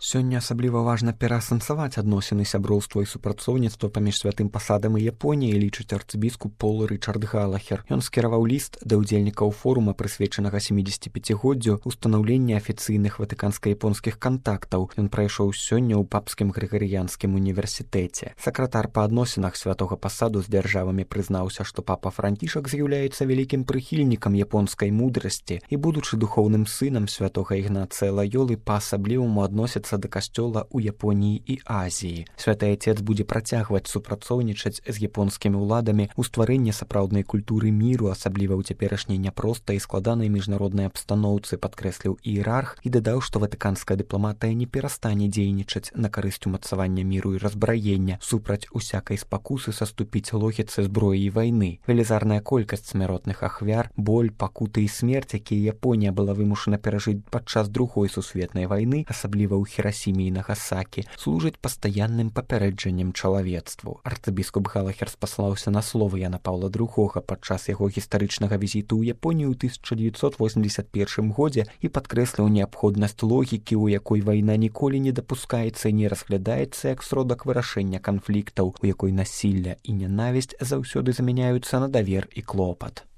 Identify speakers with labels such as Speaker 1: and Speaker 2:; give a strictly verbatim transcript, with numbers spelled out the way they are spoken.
Speaker 1: Сёння асабліва важна пераасэнсаваць адносіны сяброўства і супрацоўніцтва паміж святым пасадам і Японіяй, лічыць арцыбіскуп Пол Рычард Галахер. Ён скіраваў ліст да ўдзельнікаў форума, прысвечанага сямідзесяціпяцігоддзю ўстанаўлення афіцыйных ватыканска-японскіх кантактаў. Ён прайшоў сёння ў папскім грыгарыянскім універсітэце. Сакратар па адносінах святога пасаду з дзяржавамі прызнаўся, што папа Францішак з'яўляецца вялікім прыхільнікам японскай мудрасці і, будучы духоўным сынам святога Ігнацыя Лаёлы, па-асабліваму адносіцца да касцёла ў Японіі і Азіі. Святы Айцец будзе працягваць супрацоўнічаць з японскімі ўладамі ў стварэнні сапраўднай культуры міру, асабліва ў цяперашняй няпростай і складанай міжнароднай абстаноўцы, падкрэсліў іерарх і дадаў, што ватыканская дыпламатыя не перастане дзейнічаць на карысць умацавання міру і разбраення, супраць усякай спакусы саступіць логіцы зброі і вайны. Велізарная колькасць смяротных ахвяр, боль, пакуты і смерць, якія Японія была вымушана перажыць падчас другой сусветнай вайны, асабліва ў Хірасіме і Нагасакі, служыць пастаянным папярэджаннем чалавецтву. Арцыбіскуп Галахер спаслаўся на словы Яна Паўла другога падчас яго гістарычнага візіту ў Японію ў тысяча дзевяцьсот восемдзесят першым годзе і падкрэсліў неабходнасць логікі, у якой вайна ніколі не дапускаецца і не разглядаецца як сродак вырашэння канфліктаў, у якой насілля і нянавісць заўсёды замяняюцца на давер і клопат.